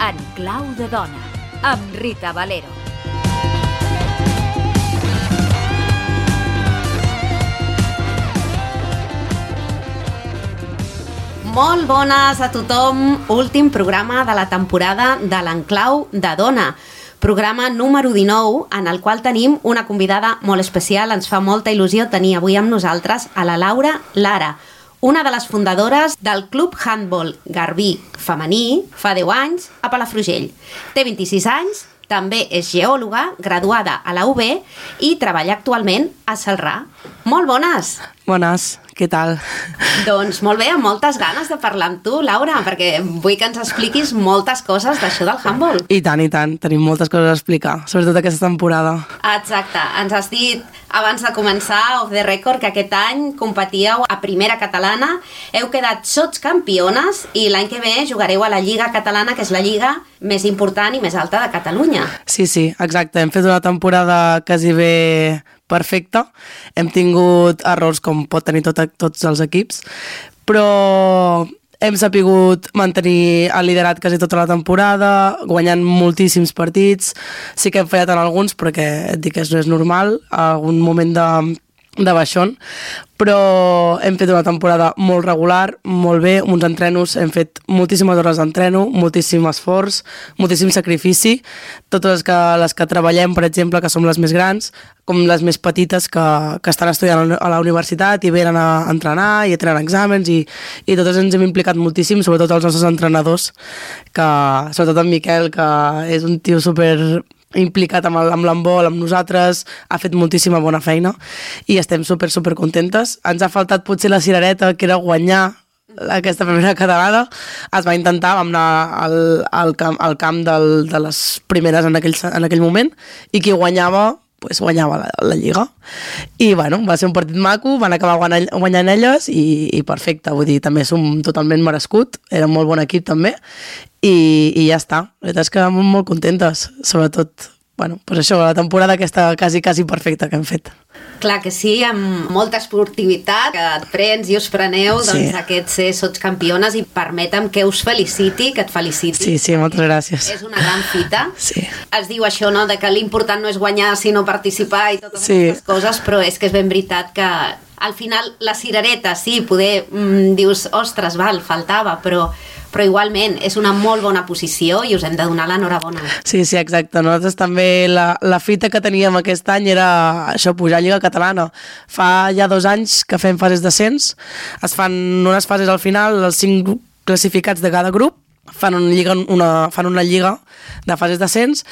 En clau de dona, amb Rita Valero. Molt bones a tothom, últim programa de la temporada de l'Enclau de Dona. Programa número 19, en el qual tenim una convidada molt especial. Ens fa molta il·lusió tenir avui amb nosaltres a la Laura Lara, una de les fundadores del Club Handbol Garbí femení fa 10 anys a Palafrugell. Té 26 anys, també és geòloga, graduada a la UB i treballa actualment a Celrà. Molt bones! Bones, què tal? Doncs molt bé, amb moltes ganes de parlar amb tu, Laura, perquè vull que ens expliquis moltes coses d'això del handbol. I tant, tenim moltes coses a explicar, sobretot aquesta temporada. Exacte, ens has dit abans de començar, off the record, que aquest any competíeu a Primera Catalana, heu quedat sotscampiones i l'any que ve jugareu a la Lliga Catalana, que és la lliga més important i més alta de Catalunya. Sí, exacte, hem fet una temporada quasi bé perfecta, hem tingut errors com pot tenir tots els equips, però hem sapigut mantenir el liderat quasi tota la temporada, guanyant moltíssims partits. Sí que hem fallat en alguns, perquè et dic que no és normal, algun moment de baixón, però hem fet una temporada molt regular, molt bé, uns entrenos, hem fet moltíssimes hores d'entreno, moltíssim esforç, moltíssim sacrifici, totes les que treballem, per exemple, que som les més grans, com les més petites que estan estudiant a la universitat i venen a entrenar i a tenen exàmens i totes ens hem implicat moltíssim, sobretot els nostres entrenadors, sobretot en Miquel, que és un tio super implicat amb l'handbol, amb nosaltres, ha fet moltíssima bona feina i estem super contentes. Ens ha faltat potser la cirereta, que era guanyar aquesta Primera Catalana. Es va intentar, vam anar al camp de les primeres en aquell moment i qui guanyava guanyava la Lliga. I bueno, va ser un partit maco, van acabar guanyant elles i perfecte, vull dir, també som totalment merescut, era un molt bon equip també i ja està. La veritat és que molt contentes, sobretot, bueno, pues això, la temporada aquesta quasi perfecta que hem fet. Clar que sí, amb molta esportivitat, que et prens i us preneu, sí. Doncs aquest ser sotscampiones i permetem que us feliciti, que et feliciti. Sí, moltes gràcies. És una gran fita. Sí. Es diu això, no?, de que l'important no és guanyar sinó participar i totes aquestes coses, però és que és ben veritat que al final la cirereta, sí, poder dius, ostres, faltava, però igualment és una molt bona posició i us hem de donar l'enhorabona. Sí, exacte. Nosaltres també la fita que teníem aquest any era això, pujar a Lliga Catalana. Fa ja 2 anys que fem fases d'ascens, es fan unes fases al final, els 5 classificats de cada grup, fan una lliga de fases d'ascens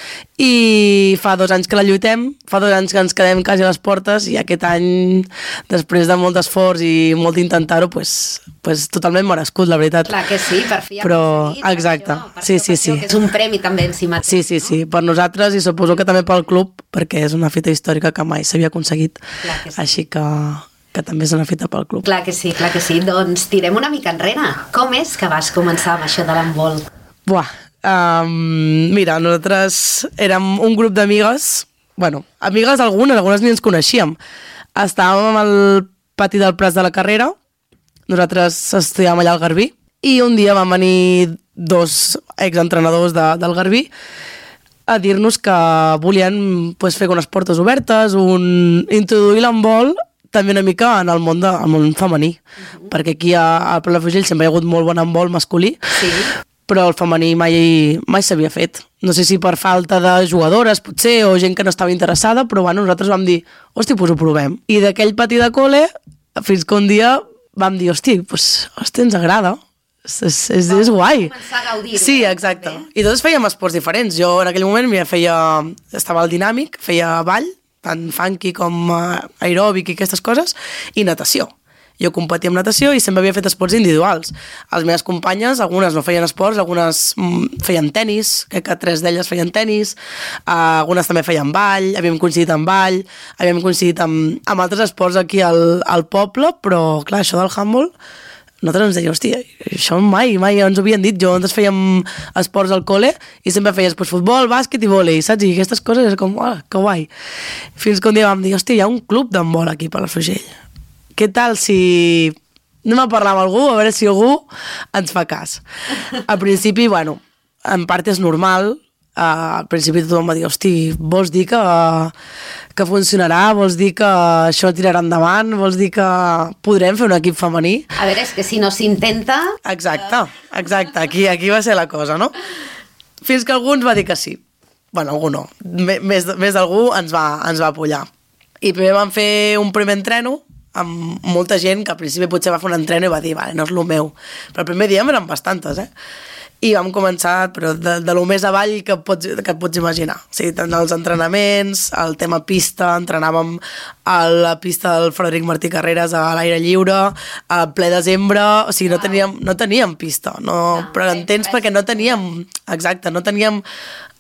i fa 2 anys que la lluitem, fa 2 anys que ens quedem quasi a les portes i aquest any, després de molt d'esforç i molt d'intentar-ho, pues totalment merescut, la veritat. Clar que sí, per fi però, exacte, sí. Que és un premi també en si mateix. Sí, per nosaltres i suposo que també pel club, perquè és una fita històrica que mai s'havia aconseguit, així que també és una fita pel club. Clar que sí. Doncs tirem una mica enrere. Com és que vas començar amb això de l'handbol? Mira, nosaltres érem un grup d'amigues, amigues algunes ni ens coneixíem. Estàvem al pati del Prat de la Carrera, nosaltres estudiàvem allà al Garbí, i un dia van venir 2 exentrenadors del Garbí a dir-nos que volien fer unes portes obertes, introduir l'handbol també una mica en el món femení, perquè aquí a Palafrugell sempre hi ha hagut molt bon handbol masculí, però el femení mai s'havia fet. No sé si per falta de jugadores, potser, o gent que no estava interessada, però nosaltres vam dir, hosti, ho provem. I d'aquell pati de col·le, fins que un dia vam dir, hosti, ens agrada, és guai. Començar a gaudir-ho. Sí, exacte. I tots fèiem esports diferents. Jo en aquell moment estava al dinàmic, feia ball, tant funky com aeròbic i aquestes coses, i natació. Jo competia en natació i sempre havia fet esports individuals. Les meves companyes, algunes no feien esports, algunes feien tenis, crec que 3 d'elles feien tenis, algunes també feien ball, havíem coincidit en ball, havíem coincidit amb altres esports aquí al poble, però clar, això del handball nosaltres ens deia, hòstia, això mai ens ho havien dit. Jo, nosaltres fèiem esports al col·le i sempre feies pues, futbol, bàsquet i vòlei, saps? I aquestes coses és com, que guai. Fins que un dia vam dir, hòstia, hi ha un club d'handbol aquí a Palafrugell. Què tal si anem a parlar amb algú, a veure si algú ens fa cas? Al principi, bueno, en part és normal. Al principi tothom va dir, hosti, vols dir que funcionarà, vols dir que això tirarà endavant, vols dir que podrem fer un equip femení? A veure, és que si no s'intenta... Exacte, aquí va ser la cosa, no? Fins que algú ens va dir que sí. Bueno, algú no, més d'algú ens va apollar. I primer vam fer un primer entreno amb molta gent que al principi potser va fer un entreno i va dir, vale, no és el meu. Però el primer dia eren bastantes, I vam començar però de lo més avall que et pots imaginar. O sigui, tant els entrenaments, el tema pista, entrenàvem a la pista del Frederic Martí Carreras a l'aire lliure, a ple desembre, o sigui, no teníem pista, però entens perquè no teníem, no teníem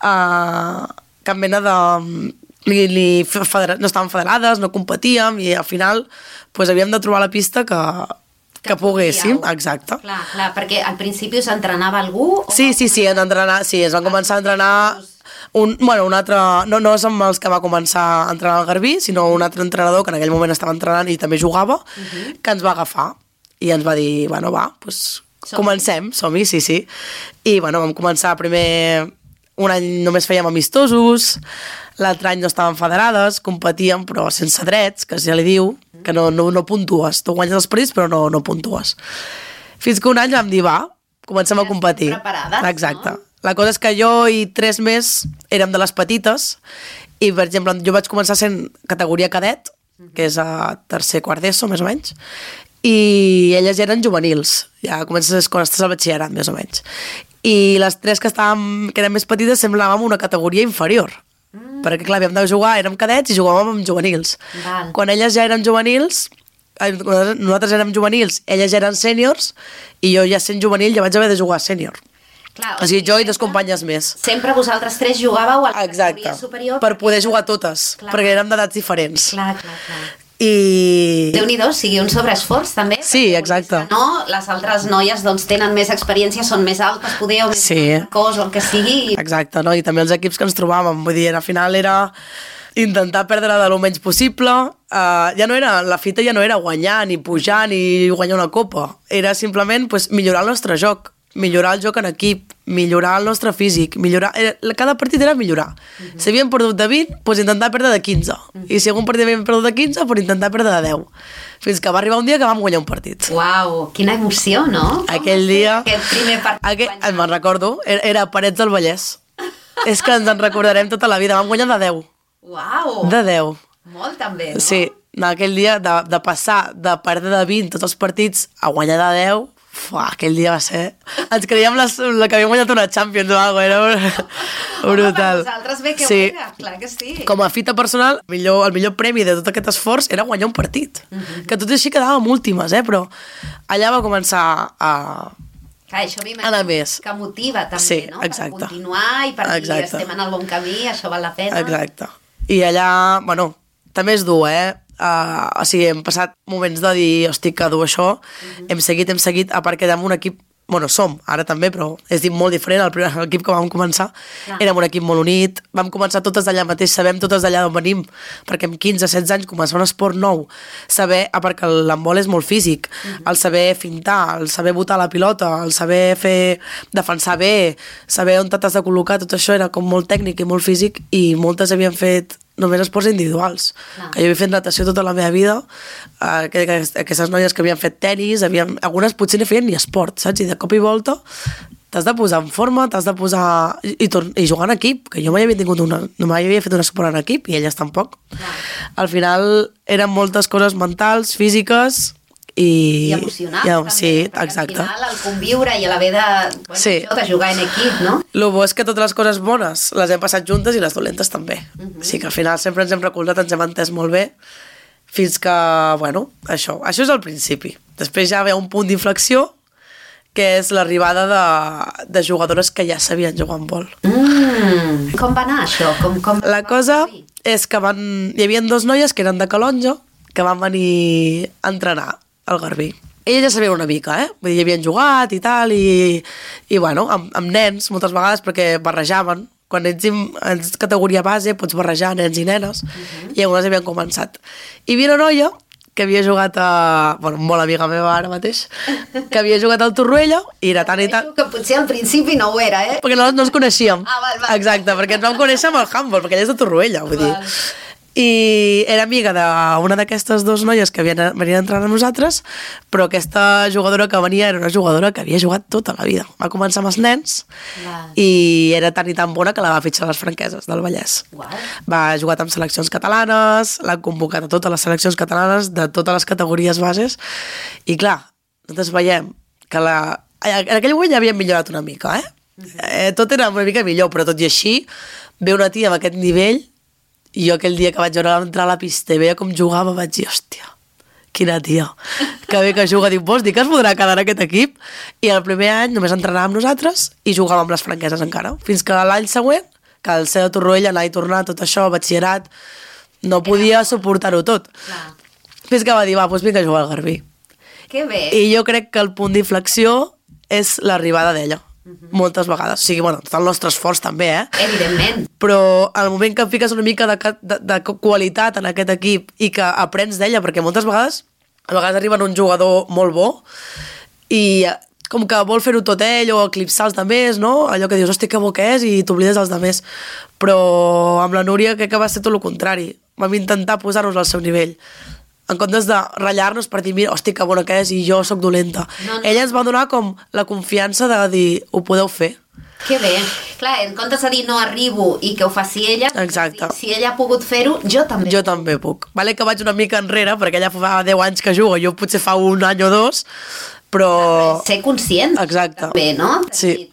cap mena de... no estàvem federades, no competíem i al final pues, havíem de trobar la pista que poguéssim, exacte. Clar, perquè al principi us entrenava algú? Sí, es van començar a entrenar un altre, no som els que va començar a entrenar al Garbí, sinó un altre entrenador que en aquell moment estava entrenant i també jugava, que ens va agafar i ens va dir, bueno, va, doncs comencem, som-hi, sí. I bueno, vam començar primer, un any només fèiem amistosos, l'altre any no estàvem federades, competíem però sense drets, que ja li diu, que no puntues. Tu guanyes els partits però no puntues. Fins que un any vam dir, va, comencem a competir. Preparades, exacte. No? La cosa és que jo i 3 més érem de les petites i, per exemple, jo vaig començar sent categoria cadet, que és a tercer, quart d'ESO, més o menys, i elles ja eren juvenils. Ja comences quan estàs al batxillerat, més o menys. I les 3 que eren més petites semblàvem una categoria inferior. Perquè, clar, havíem de jugar, érem cadets i jugàvem amb juvenils. Val. Quan elles ja eren juvenils, nosaltres érem juvenils, elles ja eren sèniors, i jo ja sent juvenil ja vaig haver de jugar sènior. Clar, o sigui, jo i 2 companyes més. Sempre vosaltres 3 jugàveu a la categoria superior? Per poder jugar totes, perquè érem d'edats diferents. Clar. I... Déu-n'hi-do, sigui un sobreesforç també. Sí, exacte. No, les altres noies doncs, tenen més experiència, són més altes, poder, o més cos, o el que sigui. Exacte, no? I també els equips que ens trobàvem, vull dir, al final era intentar perdre de lo menys possible. La fita ja no era guanyar, ni pujar, ni guanyar una copa. Era simplement pues, millorar el nostre joc, millorar el joc en equip, millorar el nostre físic, cada partit era millorar. Si havíem perdut de 20, doncs intentar perdre de 15. I si algun partit havíem perdut de 15, doncs intentar perdre de 10. Fins que va arribar un dia que vam guanyar un partit. Uau, quina emoció, no? Aquell dia... Aquest primer partit. Me'n recordo, era Parets del Vallès. És que ens en recordarem tota la vida. Vam guanyar de 10. Uau! De 10. Molt també, no? Sí, aquell dia de passar de perdre de 20 tots els partits a guanyar de 10, aquell dia va ser... Ens creiem la que havíem guanyat una Champions o alguna cosa, era brutal. Per vosaltres bé que sí. ho era, clar que sí. Com a fita personal, el millor premi de tot aquest esforç era guanyar un partit. Que tot i així quedàvem últimes, però allà va començar a... Clar, això m'imagino que motiva també, no? Exacte. Per continuar i per dir estem en el bon camí, això val la pena. Exacte. I allà, bueno, també és dur, o sigui, hem passat moments de dir, hosti, que dur això, hem seguit, a part que érem un equip, bueno, som, ara també, però és molt diferent, l'equip que vam començar, érem un equip molt unit, vam començar totes d'allà mateix, sabem totes d'allà d'on venim, perquè amb 15-16 anys començar un esport nou, saber, perquè l'handbol és molt físic, el saber fintar, el saber botar la pilota, el saber defensar bé, saber on t'has de col·locar, tot això era com molt tècnic i molt físic, i moltes havien fet només esports individuals, que jo havia fet natació tota la meva vida, aquestes noies que havien fet tenis, algunes potser no feien ni esport, saps? I de cop i volta t'has de posar en forma, t'has de posar... I jugar en equip, que jo mai havia fet un esport en equip, i elles tampoc. Al final eren moltes coses mentals, físiques... I emocionals també, sí, perquè exacte. Al final el conviure i l'haver de jugar en equip, no? El bo és que totes les coses bones les hem passat juntes i les dolentes també. O sigui que al final sempre ens hem recolzat, ens hem entès molt bé, fins que, bueno, això és el principi. Després ja ve un punt d'inflexió, que és l'arribada de jugadores que ja sabien jugar en vol. Com va anar això? La cosa és que hi havia 2 noies que eren de Calonja, que van venir a entrenar al Garbí. Ells ja sabien una mica, Vull dir, havien jugat i tal, i bueno, amb nens, moltes vegades, perquè barrejaven. Quan ets en categoria base, pots barrejar nens i nenes, i algunes havien començat. I havia una noia que havia jugat bueno, molt amiga meva ara mateix, que havia jugat al Torroella, i era tant i tant... Que potser al principi no ho era, Perquè no ens coneixíem. Val. Exacte, perquè ens vam conèixer amb el handball, perquè ella és de Torroella, vull dir. I era amiga d'una d'aquestes dues noies que venien a entrar amb nosaltres, però aquesta jugadora que venia era una jugadora que havia jugat tota la vida. Va començar amb els nens i era tan i tan bona que la va fitxar a les franqueses del Vallès. Va jugar amb seleccions catalanes, l'han convocat a totes les seleccions catalanes de totes les categories bases, i clar, nosaltres veiem que en aquell moment ja havíem millorat una mica, tot era una mica millor, però tot i així ve una tia amb aquest nivell. I jo aquell dia que vaig veure entrar a la pista i veia com jugava, vaig dir, hòstia, quina tia, que bé que juga. Dic, vols dir que es podrà quedar en aquest equip? I el primer any només entrenàvem amb nosaltres i jugàvem amb les franqueses encara. Fins que l'any següent, que al ser de Torroella, anar i tornar, tot això, batxillerat, no podia suportar-ho tot. Fins que va dir, va, doncs vinga a jugar al Garbí. Que bé. I jo crec que el punt d'inflexió és l'arribada d'ella. Moltes vegades, o sigui, bueno, tot el nostre esforç també, Evidentment. Però al moment que fiques una mica de qualitat en aquest equip i que aprens d'ella, perquè moltes vegades arriba un jugador molt bo i com que vol fer-ho tot ell o eclipsar els demés, no? Allò que dius, hosti, que bo que és, i t'oblides dels demés. Però amb la Núria crec que va ser tot el contrari. Vam intentar posar-nos al seu nivell, en comptes de ratllar-nos per dir, mira, hosti, que bona que és i jo sóc dolenta. Ella ens va donar com la confiança de dir, ho podeu fer. Que bé. Clar, en comptes de dir no arribo i que ho faci ella, exacte. Si ella ha pogut fer-ho, jo també. Jo també puc. Vale que vaig una mica enrere, perquè ella fa 10 anys que jugo, jo potser fa un any o dos, però... Ser conscient. Exacte. També, no? Sí.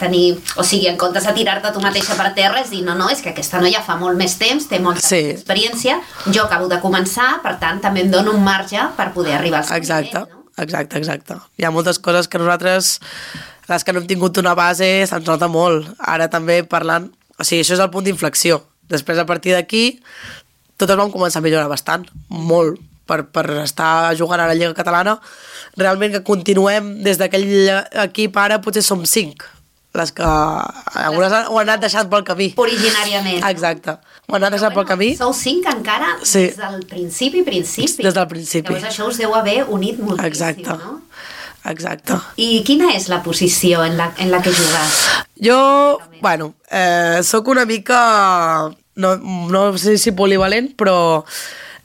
O sigui, en comptes de tirar-te tu mateixa per terra, és dir, no, és que aquesta noia fa molt més temps, té molta experiència, jo acabo de començar, per tant, també em dono un marge per poder arribar al seu nivell, no? Exacte. Hi ha moltes coses que nosaltres, les que no hem tingut una base, se'ns nota molt. Ara també parlant... O sigui, això és el punt d'inflexió. Després, a partir d'aquí, totes vam començar a millorar bastant, molt, per estar jugant a la Lliga Catalana. Realment que continuem des d'aquell equip, ara potser som 5, les que algunes ho han anat deixant pel camí. Originàriament. Exacte. Ho han anat deixant pel camí. Sou 5 encara des del principi. Des del principi. Llavors això us deu haver unit moltíssim, exacte. No? Exacte. I quina és la posició en la que jugues? Jo, bueno, sóc una mica, no sé si polivalent, però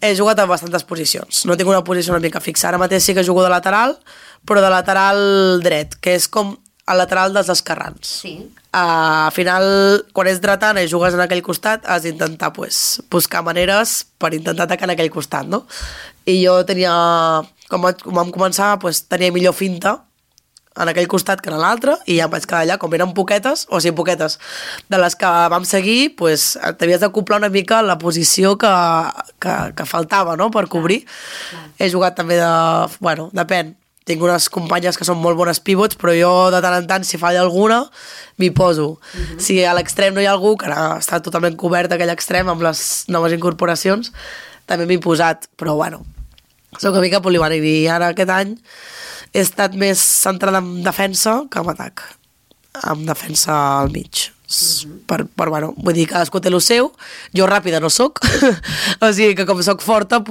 he jugat a bastantes posicions. No tinc una posició una mica fixa. Ara mateix sí que jugo de lateral, però de lateral dret, que és com el lateral dels esquerrans. Sí. Al final, quan ets dretant i jugues en aquell costat, has d'intentar buscar maneres per intentar atacar en aquell costat, no? I jo tenia, com vam començar, tenia millor finta en aquell costat que en l'altre, i ja em vaig quedar allà, com eren poquetes, de les que vam seguir, t'havies d'acoplar una mica la posició que faltava, no?, per cobrir. He jugat també depèn. Tinc unes companyes que són molt bones pivots, però jo de tant en tant, si falla alguna, m'hi poso. Si a l'extrem no hi ha algú, que ara està totalment cobert aquell extrem amb les noves incorporacions, també m'hi he posat, però soc una mica polivalent, i ara aquest any he estat més centrada en defensa que en atac, en defensa al mig. Vull dir, cadascú té el seu, jo ràpida no soc, o sigui que com soc forta,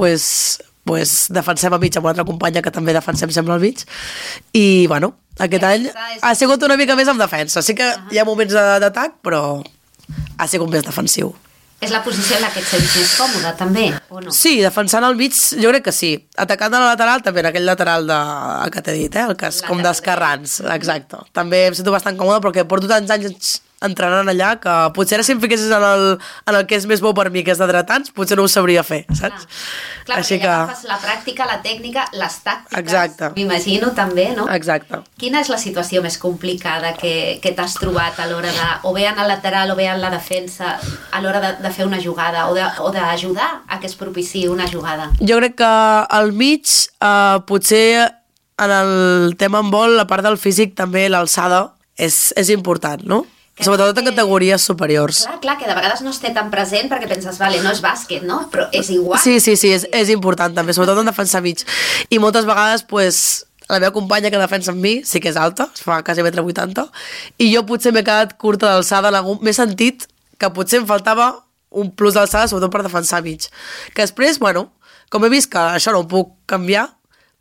defensem a mig amb una altra companya que també defensem sempre al mig, i aquest any ha sigut una mica més en defensa. Sí que hi ha moments d'atac, però ha sigut més defensiu. És la posició en la que et sents més còmode, també, o no? Sí, defensant al mig jo crec que sí. Atacant a la lateral, també en aquell lateral que t'he dit, el que és com d'esquerrans, exacte. També em sento bastant còmode perquè porto tants anys entrenant allà que potser ara si em fiquessis en el que és més bo per mi, que és de dretans, potser no ho sabria fer, saps? Clar, perquè ja agafes la pràctica, la tècnica, les tàctiques, m'imagino també, no? Exacte. Quina és la situació més complicada que t'has trobat a l'hora de, o bé en el lateral o bé en la defensa, a l'hora de fer una jugada o d'ajudar a que es propiciï una jugada? Jo crec que al mig, potser en el tema en vol, la part del físic també, l'alçada, és important, no? Sobretot en categories superiors. Clar, que de vegades no es té tan present perquè penses, vale, no és bàsquet, no? Però és igual. Sí, és important també, sobretot en defensar mig. I moltes vegades, la meva companya que defensa amb mi sí que és alta, es fa quasi 1,80 m, i jo potser m'he quedat curta d'alçada, m'he sentit que potser em faltava un plus d'alçada, sobretot per defensar mig. Que després, bueno, com he vist que això no ho puc canviar,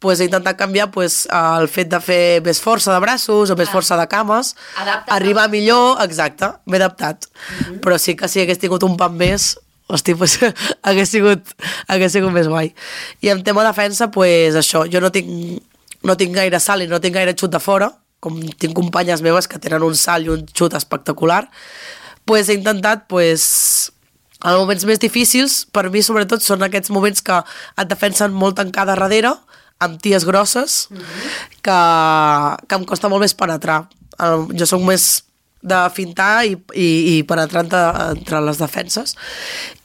pues he intentat canviar el fet de fer més força de braços o més força de cames, arribar millor, exacte, m'he adaptat. Però sí que si hagués tingut un pam més, hosti, pues, hagués sigut més guai. I en tema defensa, pues això, jo no tinc gaire salt i no tinc gaire xut de fora, com tinc companyes meves que tenen un salt i un xut espectacular, pues he intentat, en moments més difícils, per mi sobretot són aquests moments que et defensen molt tancada darrere, amb ties grosses, que em costa molt més penetrar. Jo soc més de fintar i penetrar entre les defenses.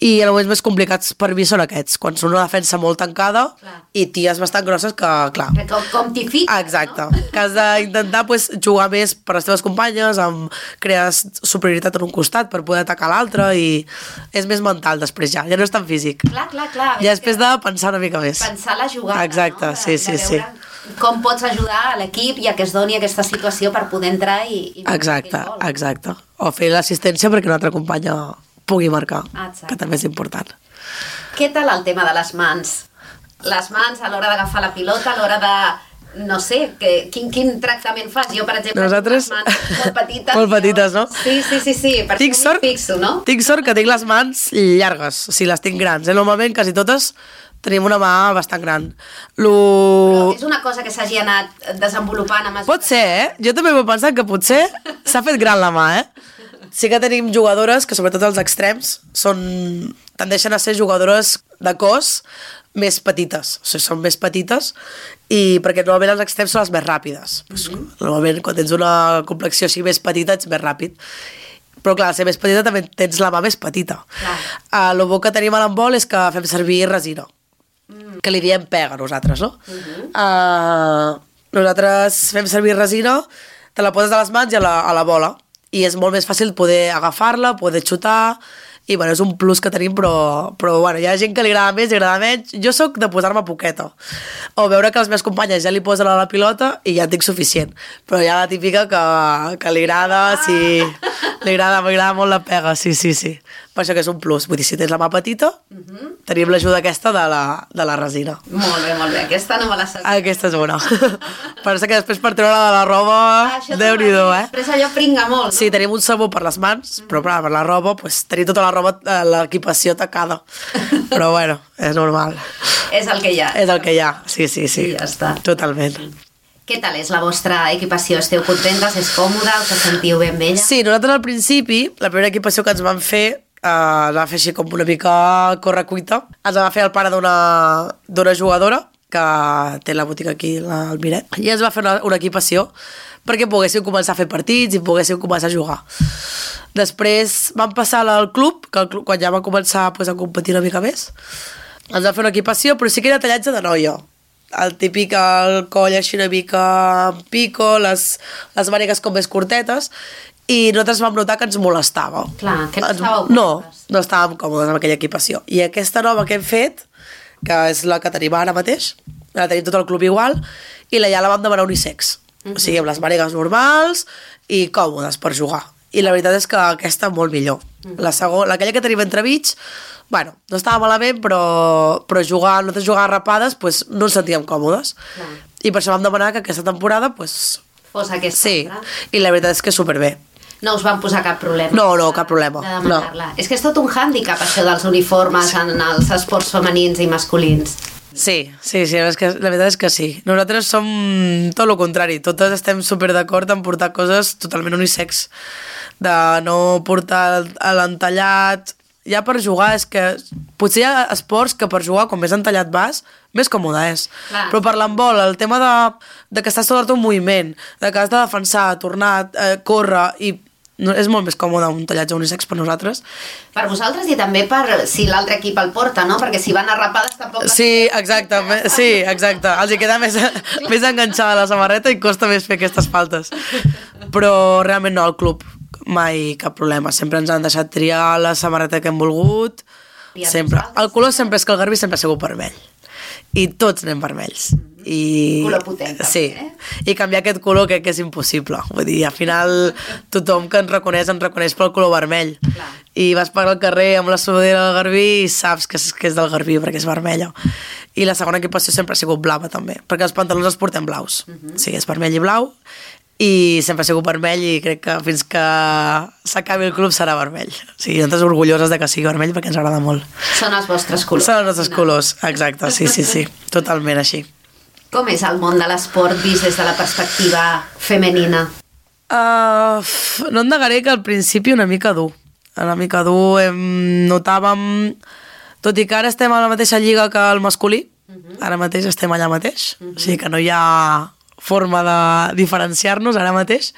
I els moments més complicats per mi són aquests, quan són una defensa molt tancada i ties bastant grosses que, clar... Com t'hi fiques, exacte, no? Que has d'intentar jugar més per les teves companyes, crear superioritat en un costat per poder atacar l'altre, i és més mental després ja no és tan físic. Clar. Ja després de pensar una mica més. Pensar la jugada, exacte, no? Sí. Com pots ajudar a l'equip i a que es doni aquesta situació per poder entrar i exacte. O fer l'assistència perquè una altra companya pugui marcar, que també és important. Què tal el tema de les mans? Les mans a l'hora d'agafar la pilota, a l'hora de... No sé, quin tractament fas? Jo, per exemple, nosaltres... tinc les mans molt petites. Molt petites, no? Sí, per això m'hi fixo, no? Tinc sort que tinc les mans llargues, o sigui, les tinc grans. Normalment, quasi totes, tenim una mà bastant gran. Però és una cosa que s'hagi anat desenvolupant a mesura... Pot ser, Jo també m'he pensat que potser s'ha fet gran la mà, Sí que tenim jugadores que, sobretot els extrems, tendeixen a ser jugadores de cos més petites, o sigui, són més petites, i perquè normalment els extrems són les més ràpides. Normalment, quan tens una complexió així més petita, ets més ràpid. Però clar, ser més petita també tens la mà més petita. El bo que tenim a l'handbol és que fem servir resina, que li diem pega nosaltres, no? Nosaltres fem servir resina, te la poses a les mans i a la bola, i és molt més fàcil poder agafar-la, poder xutar, i bueno, és un plus que tenim, però bueno, hi ha gent que li agrada més i agrada menys. Jo sóc de posar-me poqueta, o veure que les meves companyes ja li posen a la pilota i ja en tinc suficient, però hi ha la típica que li agrada, m'agrada molt la pega, sí. Per això que és un plus, vull dir, si tens la mà petita, tenim l'ajuda aquesta de la resina. Molt bé, aquesta no me la sabia. Aquesta és bona. Pensa que després per treure de la roba, Déu-n'hi-do, Després allò pringa molt, no? Sí, tenim un sabó per les mans, però per la roba, tenim tota la roba, l'equipació tacada. Però bueno, és normal. És el que hi ha. És el que hi ha, sí. I ja està. Totalment. Què tal és la vostra equipació? Esteu contentes? És còmoda? Us sentiu bé amb ella? Sí, nosaltres al principi, la primera equipació que ens van fer, ens va fer així com una mica correcuita. Ens va fer el pare d'una jugadora que té la botiga aquí al Miret, i ens va fer una equipació perquè poguéssim començar a fer partits i poguéssim començar a jugar. Després vam passar al club, quan ja va començar a competir una mica més, ens va fer una equipació, però sí que era tallatge de noia. El típic, el coll així una mica pico, les mànigues com més curtetes, i nosaltres vam notar que ens molestava. Clar, que no estàveu còmodes. No estàvem còmodes amb aquella equipació. I aquesta nova que hem fet, que és la que tenim ara mateix, la tenim tot el club igual, i ja la vam demanar unisex. O sigui, amb les mànigues normals i còmodes per jugar. I la veritat és que aquesta molt millor. Aquella que tenim entremig, bueno, no estava malament, però nosaltres jugar rapades no ens sentíem còmodes. I per això vam demanar que aquesta temporada fos aquesta. Sí, i la veritat és que superbé. No us van posar cap problema. No, cap problema. De demanar-la. És que és tot un hàndicap, això dels uniformes en els esports femenins i masculins. Sí, la veritat és que sí. Nosaltres som tot el contrari. Totes estem super d'acord en portar coses totalment unisex. De no portar l'entallat. Ja per jugar, és que potser hi ha esports que per jugar, com més entallat vas, més còmode és. Clar. Però per l'handbol, el tema de que estàs tot un moviment, de que has de defensar, tornar, córrer, i és molt més còmode un tallatge unisex per nosaltres. Per vosaltres i també per si l'altre equip el porta, no? Perquè si van a rapades tampoc... Sí, exacte. Els hi queda més enganxada la samarreta i costa més fer aquestes faltes. Però realment no, al club mai cap problema. Sempre ens han deixat triar la samarreta que hem volgut. Sempre. El color sempre és que el Garbí sempre ha sigut vermell. I tots anem vermells. i... Color potent, sí, i canviar aquest color crec que és impossible. Vull dir, al final tothom que ens reconeix pel color vermell. Clar. I vas per al carrer amb la sudadera del Garbí i saps que és del Garbí perquè és vermella. I la segona equipació sempre ha sigut blava també, perquè els pantalons els portem blaus. O sigui, és vermell i blau, i sempre ha sigut vermell i crec que fins que s'acabi el club serà vermell. O sigui, nosaltres orgulloses de que sigui vermell perquè ens agrada molt. Són els vostres colors. Són els nostres colors, exacte, sí, totalment així. Com és el món de l'esport vist des de la perspectiva femenina? No et negaré que al principi una mica dur. Notàvem, tot i que ara estem a la mateixa lliga que el masculí, ara mateix estem allà mateix, o sigui que no hi ha forma de diferenciar-nos ara mateix.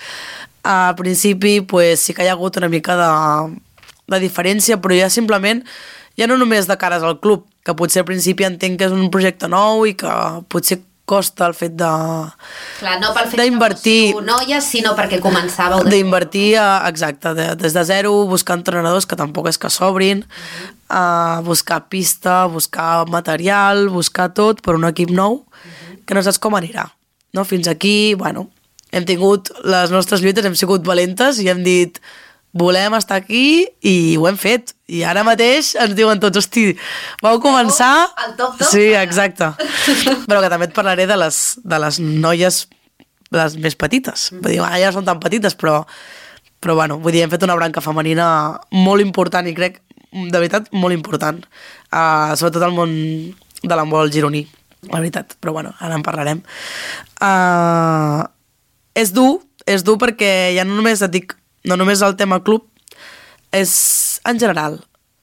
Al principi pues, sí que hi ha hagut una mica de diferència, però ja simplement, ja no només de cares al club, que potser al principi entenc que és un projecte nou i que potser costa el fet de... Clar, no pel fet d'invertir, que fóssiu noies, sinó perquè començàveu... D'invertir, exacte, des de zero, buscar entrenadors, que tampoc és que s'obrin, buscar pista, buscar material, buscar tot per un equip nou, que no saps com anirà. No? Fins aquí, bueno, hem tingut les nostres lluites, hem sigut valentes i hem dit volem estar aquí i ho hem fet. I ara mateix ens diuen tots, hosti, vau començar... El top. Sí, exacte. Però que també et parlaré de les noies les més petites. Vull dir, ja no són tan petites, però bueno, vull dir, hem fet una branca femenina molt important i crec, de veritat, molt important. Sobretot al món de l'handbol gironí, la veritat. Però bueno, ara en parlarem. És dur perquè ja no només et dic, no només el tema club, és en general.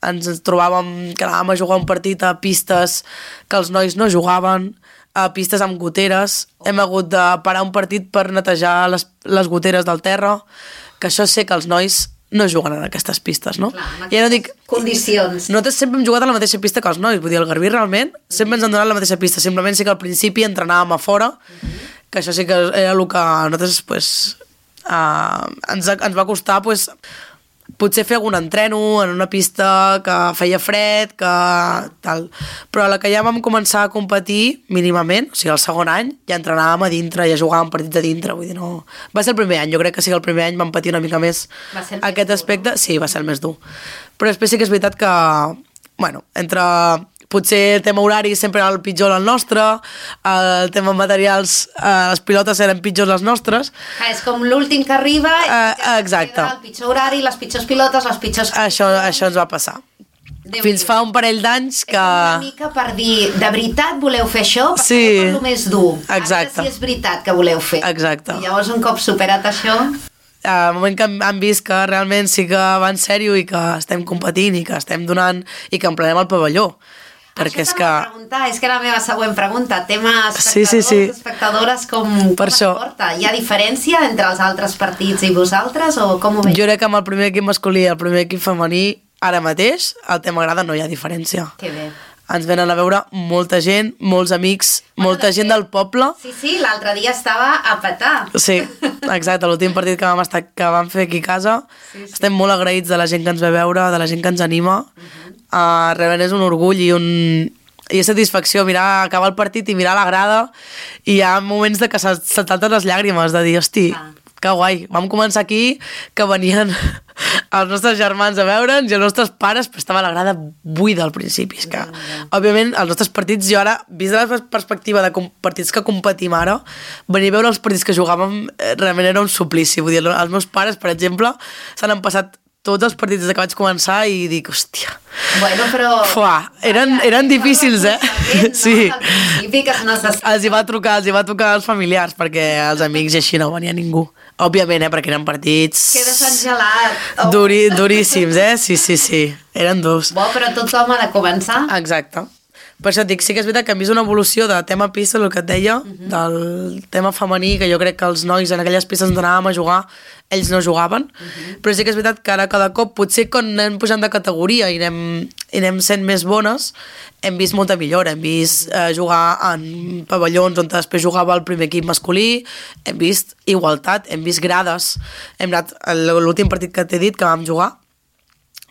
Ens trobàvem que anàvem a jugar un partit a pistes que els nois no jugaven, a pistes amb goteres. Hem hagut de parar un partit per netejar les goteres del terra, que això sé que els nois no juguen en aquestes pistes, no? Clar, ja no dic... Condicions. Nosaltres sempre hem jugat a la mateixa pista que els nois, vull dir, el Garbí realment sempre ens han donat la mateixa pista, simplement sí que al principi entrenàvem a fora, que això sí que era el que a nosaltres pues, ens va costar pues, potser fer algun entreno en una pista que feia fred, que tal. Però a la que ja vam començar a competir mínimament, o sigui, el segon any, ja entrenàvem a dintre, ja jugàvem partits a dintre, vull dir, no... Va ser el primer any, jo crec que sí que el primer any vam patir una mica més aquest aspecte. Sí, va ser el més dur. Però després sí que és veritat que, bueno, entre... Potser el tema horari sempre era el pitjor el nostre, el tema materials, les pilotes eren pitjors les nostres. És com l'últim que arriba i exacte. el pitjor horari, les pitjors pilotes, les pitjors... Això ens va passar. Fins fa un parell d'anys que... És una mica per dir, de veritat voleu fer això? Perquè sí. és el més dur. Exacte. Ara sí és veritat que voleu fer. Exacte. I llavors un cop superat això... Al moment que han vist que realment sí que va en sèrio i que estem competint i que estem donant i que emplenem el pavelló. Perquè és que... És que la meva següent pregunta, tema espectadors, sí. espectadores, com es porta? Hi ha diferència entre els altres partits i vosaltres o com ho veus? Jo crec que amb el primer equip masculí i el primer equip femení, ara mateix, el tema grada no hi ha diferència. Que bé. Ens venen a veure molta gent, molts amics, molta gent del poble. Sí, l'altre dia estava a petar. Sí, exacte, l'últim partit que vam fer aquí a casa. Sí. Estem molt agraïts de la gent que ens ve a veure, de la gent que ens anima. Realment és un orgull i satisfacció mirar, acabar el partit i mirar la grada i hi ha moments de que se salten les llàgrimes, de dir, hosti, que guai, vam començar aquí, que venien els nostres germans a veure'ns i els nostres pares, però estava la grada buida al principi. És que, òbviament, els nostres partits, jo ara, vist de la perspectiva de partits que competim ara, venir a veure els partits que jugàvem realment era un suplici. Vull dir, els meus pares, per exemple, se n'han passat tots els partits des que vaig començar i dic, hòstia... Bueno, però... Eren difícils, Sí. Els hi va trucar als familiars, perquè els amics i així no venia ningú. Òbviament, perquè eren partits... Quedes engelat. Duríssims, Sí. Eren durs. Bo, però tothom ha de començar. Exacte. Per això et dic, sí que és veritat que hem vist una evolució de tema pista, el que et deia, del tema femení, que jo crec que els nois en aquelles pistes on anàvem a jugar, ells no jugaven, però sí que és veritat que ara cada cop, potser quan anem pujant de categoria i anem sent més bones, hem vist molta millora, hem vist jugar en pavellons on després jugava el primer equip masculí, hem vist igualtat, hem vist grades, hem anat, l'últim partit que t'he dit que vam jugar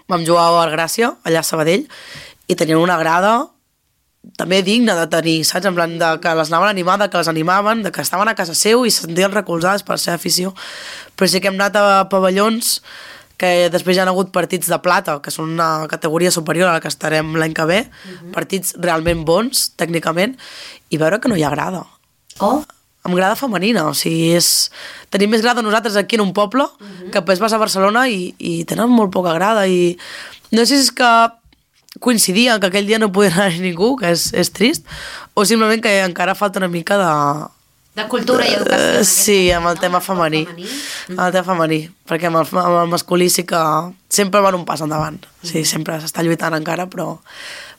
a Gràcia, allà a Sabadell, i tenien una grada també digne de tenir, saps? En plan de que les anaven animades, que les animaven, de que estaven a casa seu i se sentien recolzades per la seva afició. Però sí que hem anat a pavellons que després ja han hagut partits de plata, que són una categoria superior a la que estarem l'any que ve, partits realment bons, tècnicament, i veure que no hi ha grada. Oh, Amb grada femenina, o sigui, tenim més grada nosaltres aquí en un poble, que després vas a Barcelona i tenen molt poca grada, i no sé si és que coincidia que aquell dia no podia anar ningú, que és trist, o simplement que encara falta una mica de cultura i educació. Sí, amb el tema femení. Amb el tema femení, perquè amb el masculí sí que sempre van un pas endavant. Sí, sempre s'està lluitant encara, però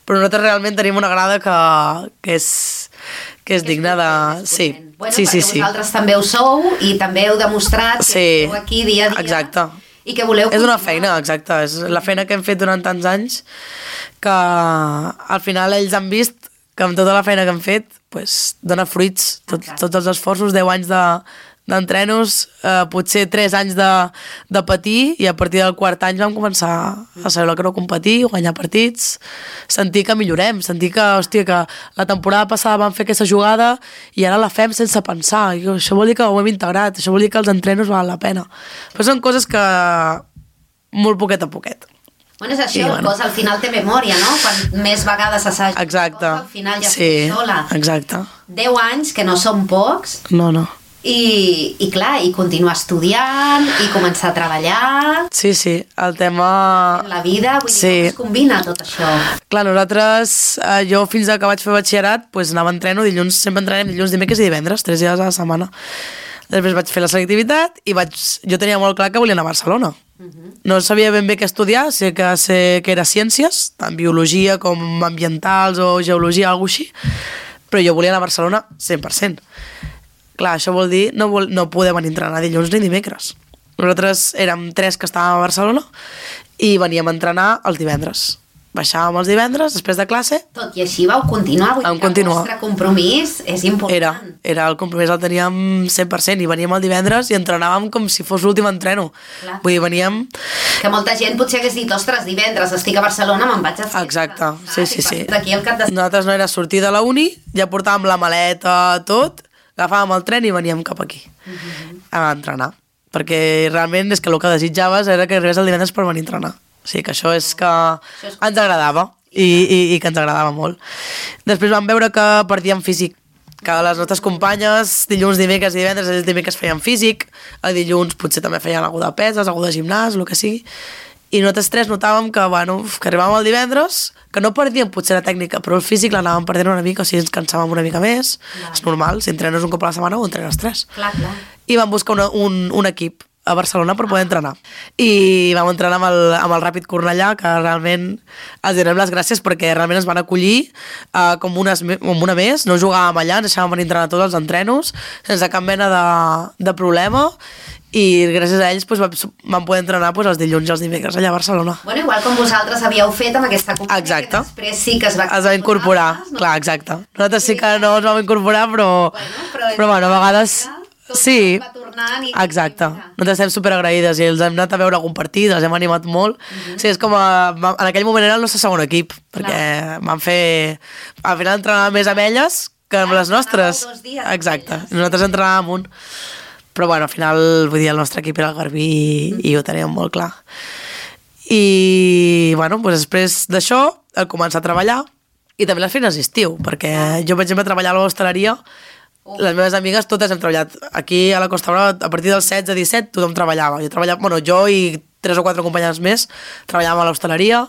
nosaltres realment tenim una grada que és digna de... Sí, bueno, sí, sí. Vosaltres també ho sou i també heu demostrat que esteu aquí dia a dia. Exacte. I que voleu... És una feina, exacte. És la feina que hem fet durant tants anys que al final ells han vist que amb tota la feina que hem fet pues, dona fruits. Tots els esforços, 10 anys d'entrenos, potser 3 anys de patir, i a partir del quart any vam començar a saber el que no competir, guanyar partits, sentir que millorem, sentir que, hòstia, que la temporada passada vam fer aquesta jugada i ara la fem sense pensar. I això vol dir que ho hem integrat, això vol dir que els entrenos valen la pena. Però són coses que molt poquet a poquet. Bueno, és això, el cos al final té memòria, no? Quan més vegades s'assaja el cos, al final ja estic sola. Exacte. 10 anys, que no són pocs. No. I clar, i continuar estudiant, i començar a treballar... Sí, el tema... La vida, vull dir, com es combina tot això? Clar, nosaltres, jo fins que vaig fer batxillerat, pues, anava a entreno dilluns, sempre entrenem dilluns, dimecres i divendres, 3 dies a la setmana. Després vaig fer la selectivitat i jo tenia molt clar que volia anar a Barcelona. No sabia ben bé què estudiar, sé que era ciències, tant biologia com ambientals o geologia, alguna cosa així, però jo volia anar a Barcelona 100%. Clar, això vol dir no poder venir a entrenar dilluns ni dimecres. Nosaltres érem 3 que estàvem a Barcelona i veníem a entrenar els divendres. Baixàvem els divendres, després de classe... Tot i així vau continuar, vull dir que el vostre compromís és important. Era el compromís, el teníem 100%, i veníem el divendres i entrenàvem com si fos l'últim entreno. Clar. Vull dir, veníem... Que molta gent potser hagués dit, ostres, divendres estic a Barcelona, me'n vaig a fer. Exacte, sí. D'aquí al cap de... Nosaltres no era sortir de la uni, ja portàvem la maleta, tot, agafàvem el tren i veníem cap aquí a entrenar. Perquè realment és que el que desitjaves era que arribés el divendres per venir a entrenar. O sigui que això és que ens agradava i que ens agradava molt. Després vam veure que partíem físic, que les nostres companyes dilluns, dimecres i divendres, els dimecres feien físic, el dilluns potser també feien alguna de peses, alguna de gimnàs, el que sigui, i nosaltres 3 notàvem que, que arribàvem el divendres, que no perdíem potser la tècnica, però el físic l'anàvem perdent una mica, o sigui, ens cansàvem una mica més. És normal, si entrenes un cop a la setmana o entrenes 3. Clar. I vam buscar un equip a Barcelona per poder entrenar. I vam entrenar amb el Ràpid Cornellà, que realment els donem les gràcies perquè realment ens van acollir com una més, no jugàvem allà, ens deixàvem venir a entrenar tots els entrenos, sense cap mena de problema, i gràcies a ells vam poder entrenar els dilluns i els dimecres allà a Barcelona. Bueno, igual com vosaltres havíeu fet amb aquesta companyia, exacte, que després sí que es va incorporar. No? Clar, exacte. Nosaltres sí que no ens vam incorporar, però a vegades... Sí, exacte. Nosaltres estem superagraïdes i els hem anat a veure algun partit, els hem animat molt. Sí, és com en aquell moment era el nostre segon equip, perquè vam fer... Al final entrenàvem més amb elles que amb les nostres. Exacte, nosaltres entrenàvem un. Però bueno, al final, vull dir, el nostre equip era el Garbí i ho teníem molt clar. I bueno, després d'això, el començar a treballar, i també les feines d'estiu, perquè jo, per exemple, treballava a l'hostaleria. Les meves amigues totes hem treballat. Aquí a la Costa Brava, a partir dels 16-17, tothom treballava. Jo i 3 o 4 companyes més treballàvem a l'hostaleria,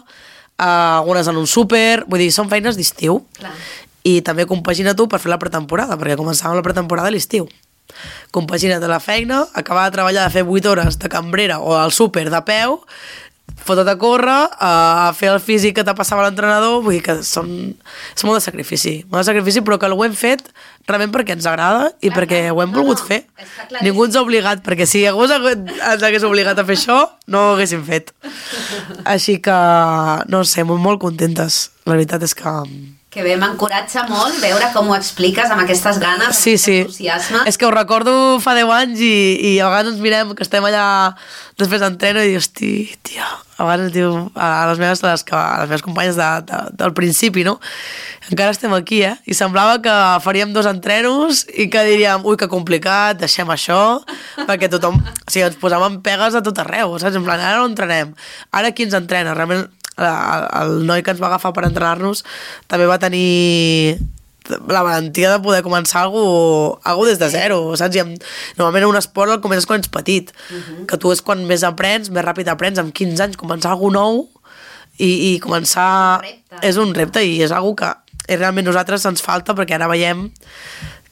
algunes en un súper, vull dir, són feines d'estiu. I també compagina tu per fer la pretemporada, perquè començàvem la pretemporada a l'estiu. Compagina't a la feina, acabar de treballar, de fer 8 hores de cambrera o al súper de peu, fotut a córrer, a fer el físic que te passava l'entrenador, vull dir que és molt de sacrifici, però que ho hem fet realment perquè ens agrada i perquè ho hem volgut fer. Ningú ens ha obligat, perquè si algú ens hagués obligat a fer això, no ho haguéssim fet. Així que, no sé, molt contentes. La veritat és que... Que bé, m'encoratja molt veure com ho expliques amb aquestes ganes, amb aquest entusiasme. És que ho recordo fa 10 anys i a vegades ens mirem que estem allà després d'entreno i dius, tia, a vegades diu a les meves companyes del principi, no? Encara estem aquí, I semblava que faríem 2 entrenos i que diríem, ui, que complicat, deixem això, perquè tothom... O sigui, ens posàvem pegues a tot arreu, saps? En plan, ara no entrenem, ara qui ens entrena? Realment, el noi que ens va agafar per entrenar-nos també va tenir la valentia de poder començar algú des de zero, saps? Normalment en un esport el comences quan ets petit, que tu és quan més aprens, més ràpid aprens, amb 15 anys començar alguna nou i començar... És un repte i és algo que realment nosaltres ens falta, perquè ara veiem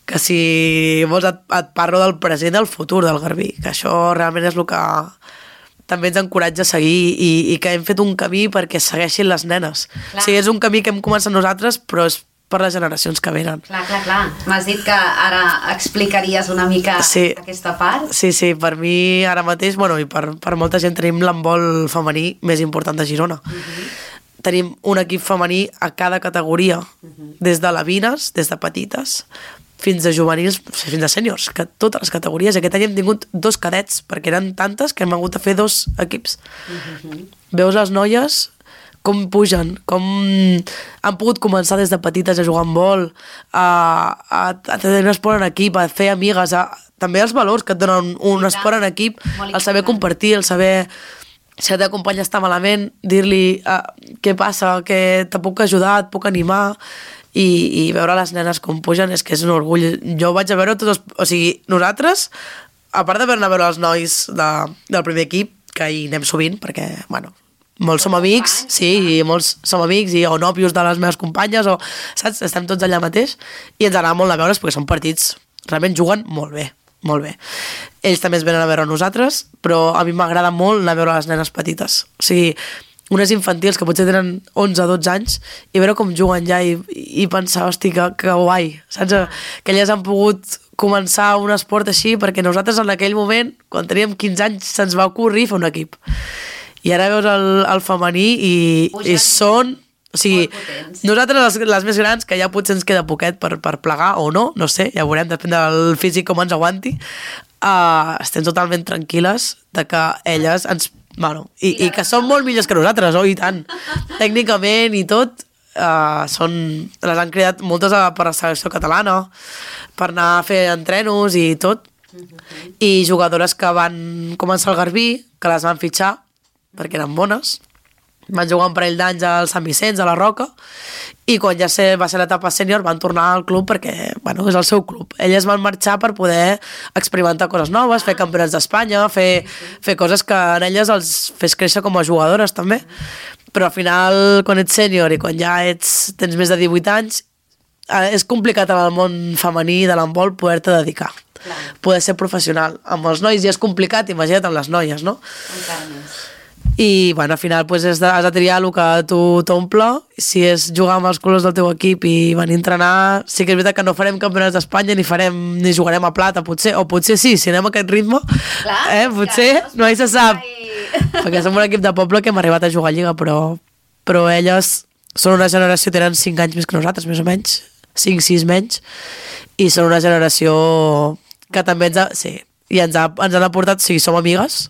que si vols et parlo del present i del futur del Garbí, que això realment és el que també ens encoratja a seguir i que hem fet un camí perquè segueixin les nenes. Clar. O sigui, és un camí que hem començat nosaltres, però és per les generacions que venen. Clar. M'has dit que ara explicaries una mica aquesta part? Sí, per mi ara mateix, bueno, i per molta gent tenim l'handbol femení més important de Girona. Tenim un equip femení a cada categoria, des de labines, des de petites, fins a juvenils, fins a sèniors, que totes les categories. Aquest any hem tingut 2 cadets, perquè eren tantes que hem hagut de fer 2 equips. Veus les noies com pugen, com han pogut començar des de petites a jugar en vol, a tenir un esport en equip, a fer amigues, també els valors que et donen un esport en equip, el saber compartir, el saber... Si la teva companya està malament, dir-li què passa, que te puc ajudar, et puc animar, i veure les nenes com pugen és que és un orgull. Jo vaig a veure tots els... O sigui, nosaltres, a part d'anar a veure els nois del primer equip, que hi anem sovint, perquè, bueno, molts som amics, i molts som amics, o nòvios de les meves companyes, saps? Estem tots allà mateix, i ens agrada molt a veure's, perquè són partits, realment juguen molt bé. Ells també es venen a veure a nosaltres, però a mi m'agrada molt anar a veure les nenes petites. O sigui, unes infantils que potser tenen 11-12 anys i veure com juguen ja i pensar, hosti, que guai, saps? Que elles han pogut començar un esport així, perquè nosaltres en aquell moment, quan teníem 15 anys, se'ns va ocorrir fer un equip. I ara veus el femení i són... O sigui, nosaltres les més grans, que ja potser ens queda poquet per plegar o no sé, ja veurem, depèn del físic com ens aguanti, estem totalment tranquil·les de que elles ens... Bueno, i que són molt millors que nosaltres, i tant. Tècnicament i tot, les han cridat moltes per la selecció catalana, per anar a fer entrenos i tot, i jugadores que van començar al Garbí, que les van fitxar, perquè eren bones, van jugar un parell d'anys al Sant Vicenç, a la Roca, i quan ja va ser l'etapa sènior van tornar al club perquè, bueno, és el seu club. Elles van marxar per poder experimentar coses noves, fer campionats d'Espanya, fer coses que en elles els fes créixer com a jugadores també. Però al final, quan ets sènior i quan ja tens més de 18 anys, és complicat en el món femení de l'handbol poder-te dedicar. Poder ser professional. Amb els nois ja és complicat, imagina't amb les noies, no? Encara més. I bueno, al final has de triar el que a tu t'omple. Si és jugar amb els colors del teu equip i venir a entrenar, sí que és veritat que no farem campionats d'Espanya ni jugarem a plata, potser, o potser sí, si anem a aquest ritme, potser, no hi se sap, perquè som un equip de poble que hem arribat a jugar a Lliga, però elles són una generació, tenen 5 anys més que nosaltres, més o menys, 5-6 menys, i són una generació que també ens han aportat, o sigui, som amigues,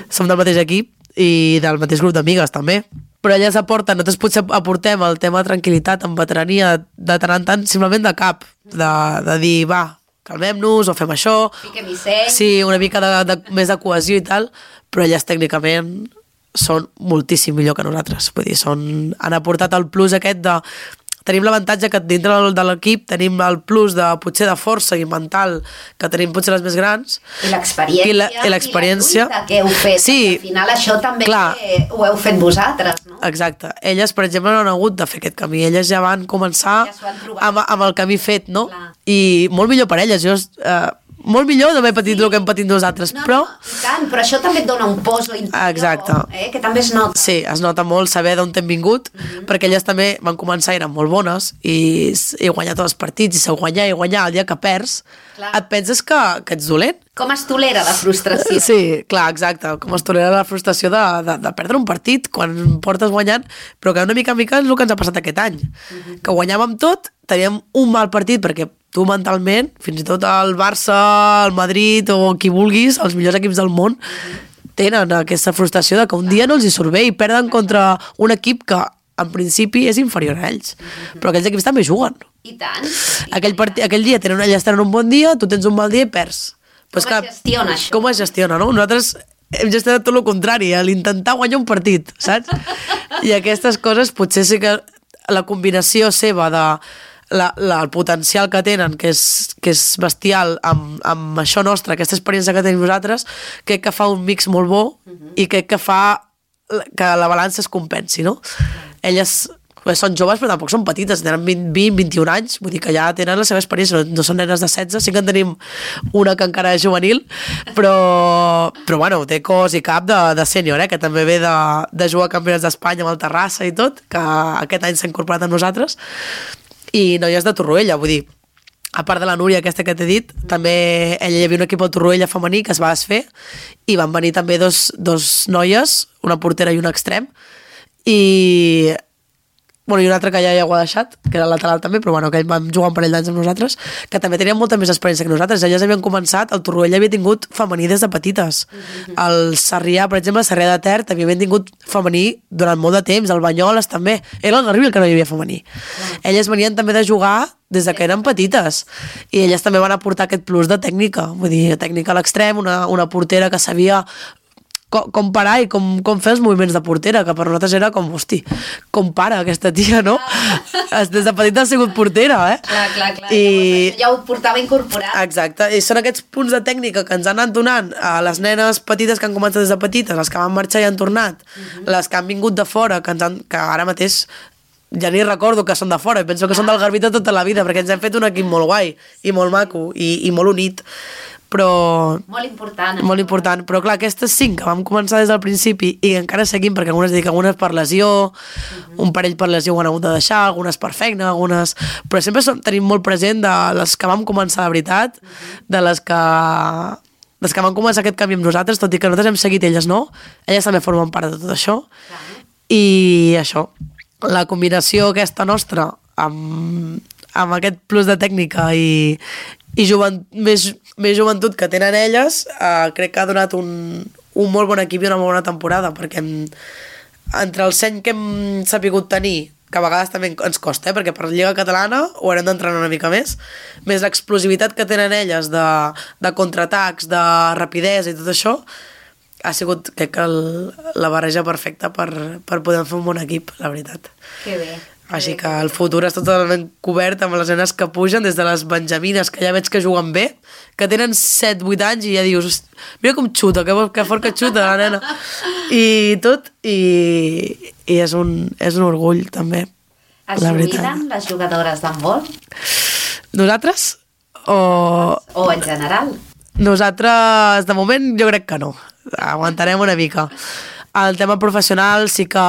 som del mateix equip, i del mateix grup d'amigues també, però elles aporten, nosaltres potser aportem el tema de tranquil·litat amb veterania de tant en tant, simplement de cap, de dir, va, calmem-nos o fem això, una mica més de cohesió i tal, però elles tècnicament són moltíssim millor que nosaltres, vull dir, han aportat el plus aquest de... Tenim l'avantatge que dintre de l'equip tenim el plus de potser de força i mental que tenim potser les més grans. I l'experiència. I l'experiència. I la lluita que heu fet. Sí, al final això també ho heu fet vosaltres, no? Exacte. Elles, per exemple, no han hagut de fer aquest camí. Elles ja van començar amb el camí fet, no? Clar. I molt millor per elles. Molt millor d'haver patit el que hem patit nosaltres, però... Tant, però això també et dona un poso interior, exacte. Que també es nota. Sí, es nota molt saber d'on t'hem vingut, perquè elles també van començar, eren molt bones, i guanyar tots els partits, i guanyar, el dia que perds, et penses que ets dolent. Com es tolera la frustració. Sí, clar, exacte, com es tolera la frustració de perdre un partit quan portes guanyant, però que una mica en mica és el que ens ha passat aquest any, que guanyàvem tot, teníem un mal partit, perquè tu mentalment, fins i tot el Barça, el Madrid o qui vulguis, els millors equips del món, tenen aquesta frustració de que un dia no els hi surt bé i perden contra un equip que en principi és inferior a ells, però aquells equips també juguen. I tant. Aquell dia ells tenen un bon dia, tu tens un mal dia i perds. Com es gestiona això? Com es gestiona, no? Nosaltres hem gestionat tot el contrari, l'intentar guanyar un partit, saps? I aquestes coses potser sí que la combinació seva de el potencial que tenen, que és bestial, amb això nostre, aquesta experiència que tenim nosaltres, crec que fa un mix molt bo i crec que fa que la balança es compensi, no? Elles són joves però tampoc són petites, tenen 20-21 anys, vull dir que ja tenen la seva experiència, no són nenes de 16, sí que en tenim una que encara és juvenil, però bueno, té cos i cap de sènior, que també ve de jugar a campionats d'Espanya amb el Terrassa i tot, que aquest any s'ha incorporat amb nosaltres, i noies de Torroella, vull dir, a part de la Núria aquesta que t'he dit, també ella hi havia un equip al Torroella femení que es va desfer i van venir també dos noies, una portera i un extrem, i un altre que ja ho ha deixat, que era el lateral també, però bueno, que ell vam jugar un parell d'anys amb nosaltres, que també tenien molta més experiència que nosaltres. Elles havien començat, el Torroella havia tingut femení des de petites. El Sarrià, per exemple, el Sarrià de Ter, també havien tingut femení durant molt de temps, el Banyoles també. Era el Garrigues el que no hi havia femení. Elles venien també de jugar des de que eren petites, i elles també van aportar aquest plus de tècnica, vull dir, tècnica a l'extrem, una portera que sabia com parar i com fer els moviments de portera, que per nosaltres era com, hosti, com para aquesta tia, no? Des de petita ha sigut portera, Clar. I ja ho portava incorporat. Exacte, i són aquests punts de tècnica que ens han anat donant a les nenes petites que han començat des de petites, les que van marxar i han tornat, les que han vingut de fora, que ara mateix ja ni recordo que són de fora, i penso que són del Garbí tota la vida, perquè ens hem fet un equip molt guai i molt maco i molt unit, però... Molt important. Molt important, però clar, aquestes 5 que vam començar des del principi i encara seguim, perquè algunes per lesió, un parell per lesió ho han hagut de deixar, algunes per feina, algunes... Però sempre tenim molt present de les que vam començar de veritat, de les que van començar aquest canvi amb nosaltres, tot i que nosaltres hem seguit elles, no? Elles també formen part de tot això. I això, la combinació aquesta nostra amb aquest plus de tècnica i més joventut que tenen elles, crec que ha donat un molt bon equip i una molt bona temporada, perquè entre el seny que hem sapigut tenir, que a vegades també ens costa, perquè per la Lliga Catalana ho haurem d'entrenar una mica més l'explosivitat que tenen elles de contraatacs, de rapidesa i tot això, ha sigut, crec que la barreja perfecta per poder fer un bon equip, la veritat. Que bé. Així que el futur és totalment cobert amb les nenes que pugen, des de les benjamines, que ja veig que juguen bé, que tenen 7-8 anys i ja dius, mira com xuta, que fort que xuta la nena. I tot, i és un orgull també. Es jubilen les jugadores d'handbol? Nosaltres? O en general? Nosaltres, de moment, jo crec que no. Aguantarem una mica. El tema professional sí que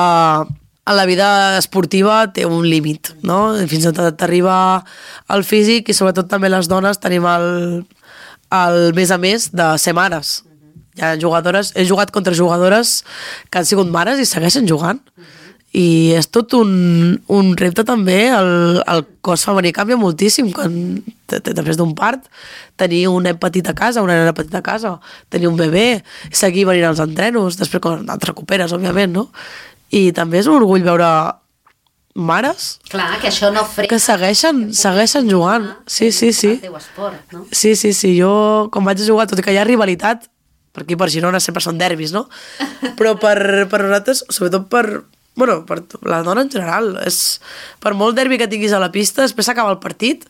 a la vida esportiva té un límit, no? Fins on t'arriba el físic, i sobretot també les dones tenim el més a més de ser mares. Hi ha jugadores, he jugat contra jugadores que han sigut mares i segueixen jugant. I és tot un repte també, el cos femení canvia moltíssim després d'un part, tenir un nen petit a casa, una nena petita a casa, tenir un bebè, seguir venint als entrenos, després quan et recuperes, òbviament, no? I també és un orgull veure mares que això no frena, que segueixen jugant. Sí. El teu esport, no? Sí, jo quan vaig a jugar, tot i que hi ha rivalitat, per aquí per Girona sempre són derbis, no? Però per nosaltres, sobretot per la dona en general, per molt derbi que tinguis a la pista, després s'acaba el partit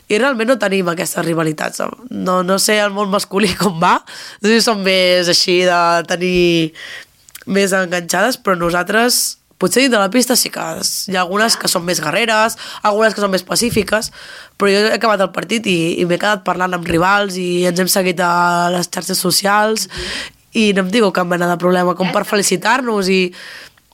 i realment no tenim aquestes rivalitats. No sé el món masculí com va, no sé si són més així de tenir més enganxades, però nosaltres potser dins de la pista sí que hi ha algunes que són més guerreres, algunes que són més pacífiques, però jo he acabat el partit i m'he quedat parlant amb rivals i ens hem seguit a les xarxes socials i no em diu cap mena de problema com per felicitar-nos i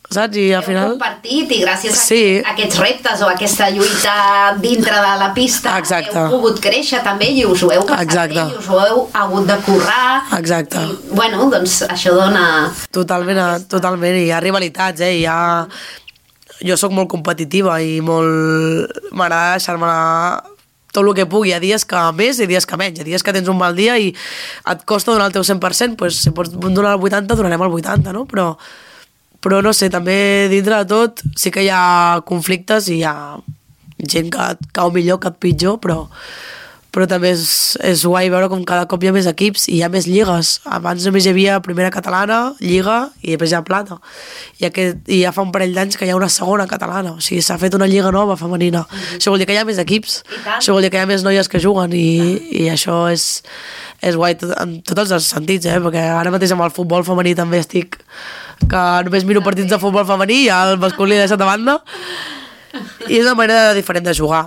saps? I al final... Heu compartit i gràcies a aquests reptes o a aquesta lluita dintre de la pista heu pogut créixer també i us ho heu passat bé i us ho heu hagut de currar. Exacte. I, doncs això dona... Totalment, hi ha rivalitats, Jo sóc molt competitiva i molt... m'agrada deixar-me tot el que pugui. Hi ha dies que més i dies que menys. Hi ha dies que tens un mal dia i et costa donar el teu 100%, doncs si pots donar el 80, donarem el 80, no? Però no sé, també dintre de tot sí que hi ha conflictes i hi ha gent que et cau millor, que et pitjor, però també és guai veure com cada cop hi ha més equips i hi ha més lligues. Abans només hi havia primera catalana, lliga i després hi ha plata. I ja fa un parell d'anys que hi ha una segona catalana, o sigui, s'ha fet una lliga nova femenina. Això vol dir que hi ha més equips, això vol dir que hi ha més noies que juguen i això és guai en tots els sentits, perquè ara mateix amb el futbol femení també estic que només miro partits de futbol femení i el masculí deixat de banda i és una manera diferent de jugar.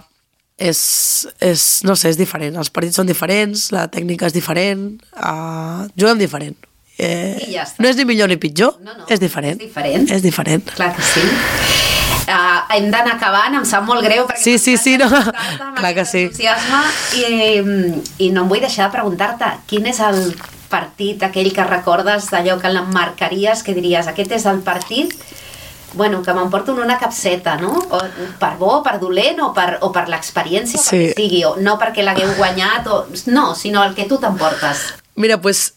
No sé, és diferent, els partits són diferents, la tècnica és diferent, juguem diferent. Ja no és ni millor ni pitjor, no, és diferent. És diferent. Clar que sí. Hem d'anar acabant, em sap molt greu perquè sí, no. Clar que sí. I no em vull deixar de preguntar-te quin és el partit aquell que recordes d'allò que l'emmarcaries, que diries aquest és el partit que m'emporto en una capseta, no? O per bo, per dolent o per l'experiència, o perquè sigui, o no perquè l'hagueu guanyat, no, sinó el que tu t'emportes. Mira, doncs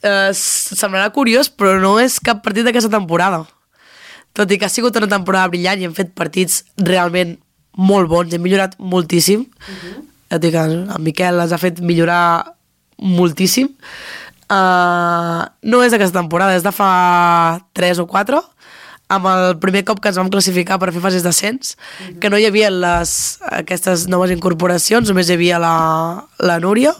semblarà curiós, però no és cap partit d'aquesta temporada. Tot i que ha sigut una temporada brillant i hem fet partits realment molt bons, hem millorat moltíssim. Ja dic que en Miquel ens ha fet millorar moltíssim. No és d'aquesta temporada, és de fa 3 o 4, amb el primer cop que ens vam classificar per fer fases d'ascens, que no hi havia aquestes noves incorporacions, només hi havia la Núria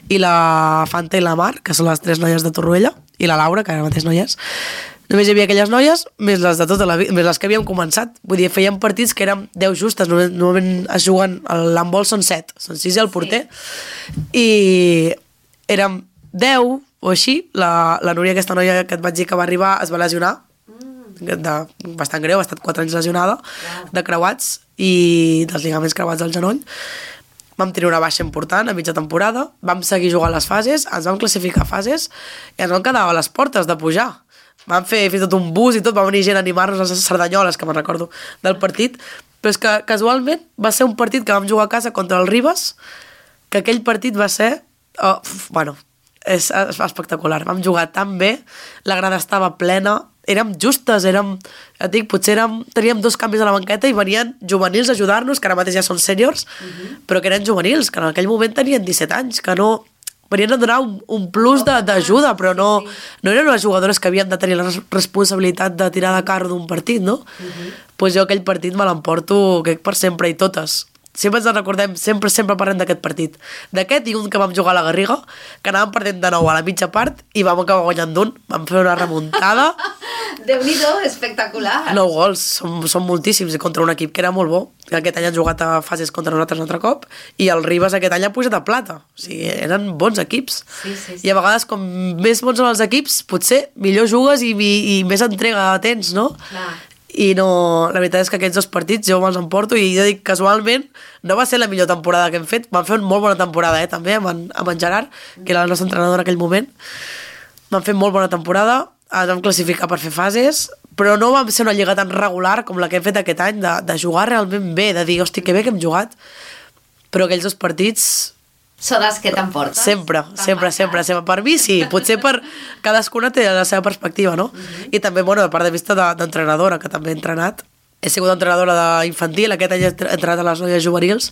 i la Fanta i la Mar, que són les 3 noies de Torroella, i la Laura, que ara mateix no hi és. Només hi havia aquelles noies, més les de tota la vida, més les que havíem començat. Vull dir, fèiem partits que érem 10 justes, normalment es juguen, l'handbol són 7, són 6 i el porter, i érem 10 o així. La Núria, aquesta noia que et vaig dir que va arribar, es va lesionar, bastant greu, ha estat 4 anys lesionada, de creuats i dels ligaments creuats al genoll. Vam tenir una baixa important a mitja temporada, vam seguir jugant les fases, ens vam classificar fases i ens vam quedar a les portes de pujar. Vam fer fins i tot un bus i tot, va venir gent a animar-nos a les Cerdanyoles, que me'n recordo, del partit, però és que casualment va ser un partit que vam jugar a casa contra el Ribes, que aquell partit va ser és espectacular, vam jugar tan bé, la grada estava plena, érem justes, teníem 2 canvis a la banqueta i venien juvenils a ajudar-nos, que ara mateix ja són sèniors, però que eren juvenils, que en aquell moment tenien 17 anys, que no venien a donar un plus d'ajuda, però no eren unes jugadores que havien de tenir la responsabilitat de tirar de carro d'un partit, no? Doncs jo aquell partit me l'emporto per sempre i totes. Sempre ens en recordem, sempre parlem d'aquest partit. D'aquest i un que vam jugar a la Garriga, que anàvem perdent de nou a la mitja part i vam acabar guanyant d'un. Vam fer una remuntada. Déu-n'hi-do, espectacular. 9 gols, són moltíssims, i contra un equip que era molt bo, que aquest any han jugat a fases contra nosaltres un altre cop, i el Ribes aquest any ha pujat a plata. O sigui, eren bons equips. Sí. I a vegades, com més bons són els equips, potser millor jugues i més entrega tens, no? Clar. I no, la veritat és que aquests 2 partits jo me'ls emporto i jo dic, casualment no va ser la millor temporada que hem fet, vam fer una molt bona temporada també amb en Gerard, que era el nostre entrenador en aquell moment. Vam fer molt bona temporada, ens vam classificar per fer fases, però no vam ser una lliga tan regular com la que hem fet aquest any, de jugar realment bé, de dir, hosti, que bé que hem jugat, però aquells 2 partits són els que t'emporten. Sempre. Per mi sí, potser per cadascuna té la seva perspectiva, no? I també, a part de vista d'entrenadora, que també he entrenat. He sigut entrenadora d'infantil, aquest any he entrenat a les noies juvenils,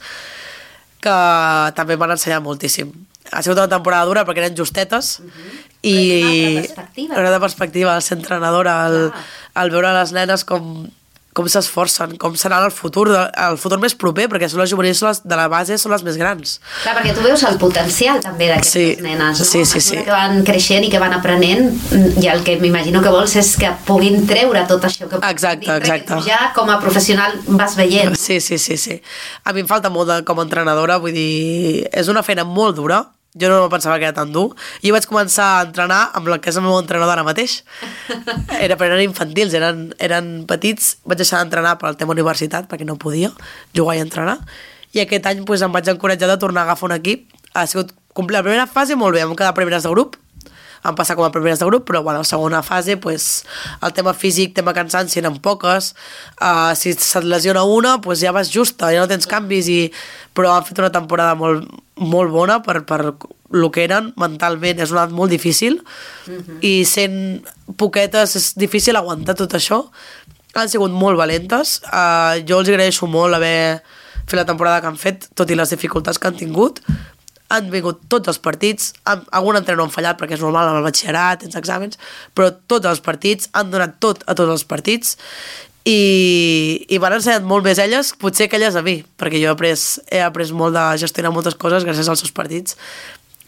que també m'han ensenyat moltíssim. Ha sigut una temporada dura perquè eren justetes i una altra perspectiva, al ser entrenadora, al veure les nenes com s'esforcen, com serà el futur més proper, perquè són les juvenils de la base, són les més grans. Clar, perquè tu veus el potencial també d'aquestes nenes, no? Sí. Que van creixent i que van aprenent, i el que m'imagino que vols és que puguin treure tot això que exacte. Tu ja com a professional vas veient. Sí. A mi em falta molt com a entrenadora, vull dir, és una feina molt dura. Jo no pensava que era tan dur. Jo vaig començar a entrenar amb el que és el meu entrenador ara mateix. Eren infantils, eren petits. Vaig deixar d'entrenar pel tema universitat, perquè no podia jugar i entrenar. I aquest any em vaig encoratjar de tornar a agafar un equip. Ha sigut la primera fase molt bé, vam quedar primeres de grup. van passar com a primeres de grup, però bueno, a la segona fase pues, el tema físic, tema cansanci eren poques, si se't lesiona una pues ja vas justa, ja no tens canvis, però han fet una temporada molt, molt bona per el que eren mentalment, és una edat molt difícil i sent poquetes és difícil aguantar tot això. Han sigut molt valentes, jo els agraeixo molt haver fet la temporada que han fet, tot i les dificultats que han tingut. Han vingut tots els partits, algun entrenador han fallat perquè és normal amb el batxillerat, tens exàmens, però tots els partits, han donat tot a tots els partits i m'han ensenyat molt més elles, potser que elles a mi, perquè jo he après molt de gestionar moltes coses gràcies als seus partits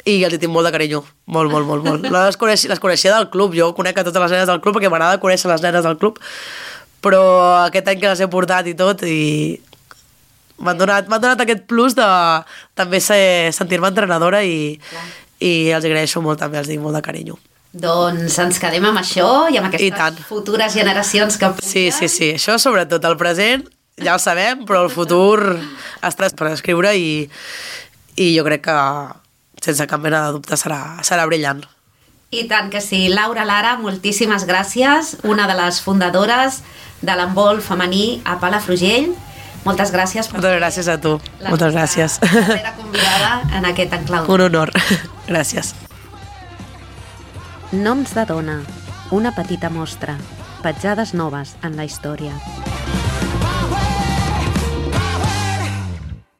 i els hi tinc molt de carinyo, molt, molt, molt, molt. Les coneixia del club, jo conec a totes les nenes del club perquè m'agrada conèixer les nenes del club, però aquest any que les he portat i tot m'han donat aquest plus de també sentir-me entrenadora i els agraeixo molt també, els dic molt de carinyo. Doncs ens quedem amb això i amb aquestes futures generacions que pugen. Sí, això sobretot, el present ja ho sabem, però el futur està per escriure i jo crec que sense cap mena de dubte serà brillant. I tant que sí. Laura Lara, moltíssimes gràcies, una de les fundadores de l'handbol femení a Palafrugell. Moltes gràcies. Moltes gràcies a tu. Moltes gràcies. La primera convidada en aquest enclau. Un honor. Gràcies. Noms de dona. Una petita mostra. Petjades noves en la història.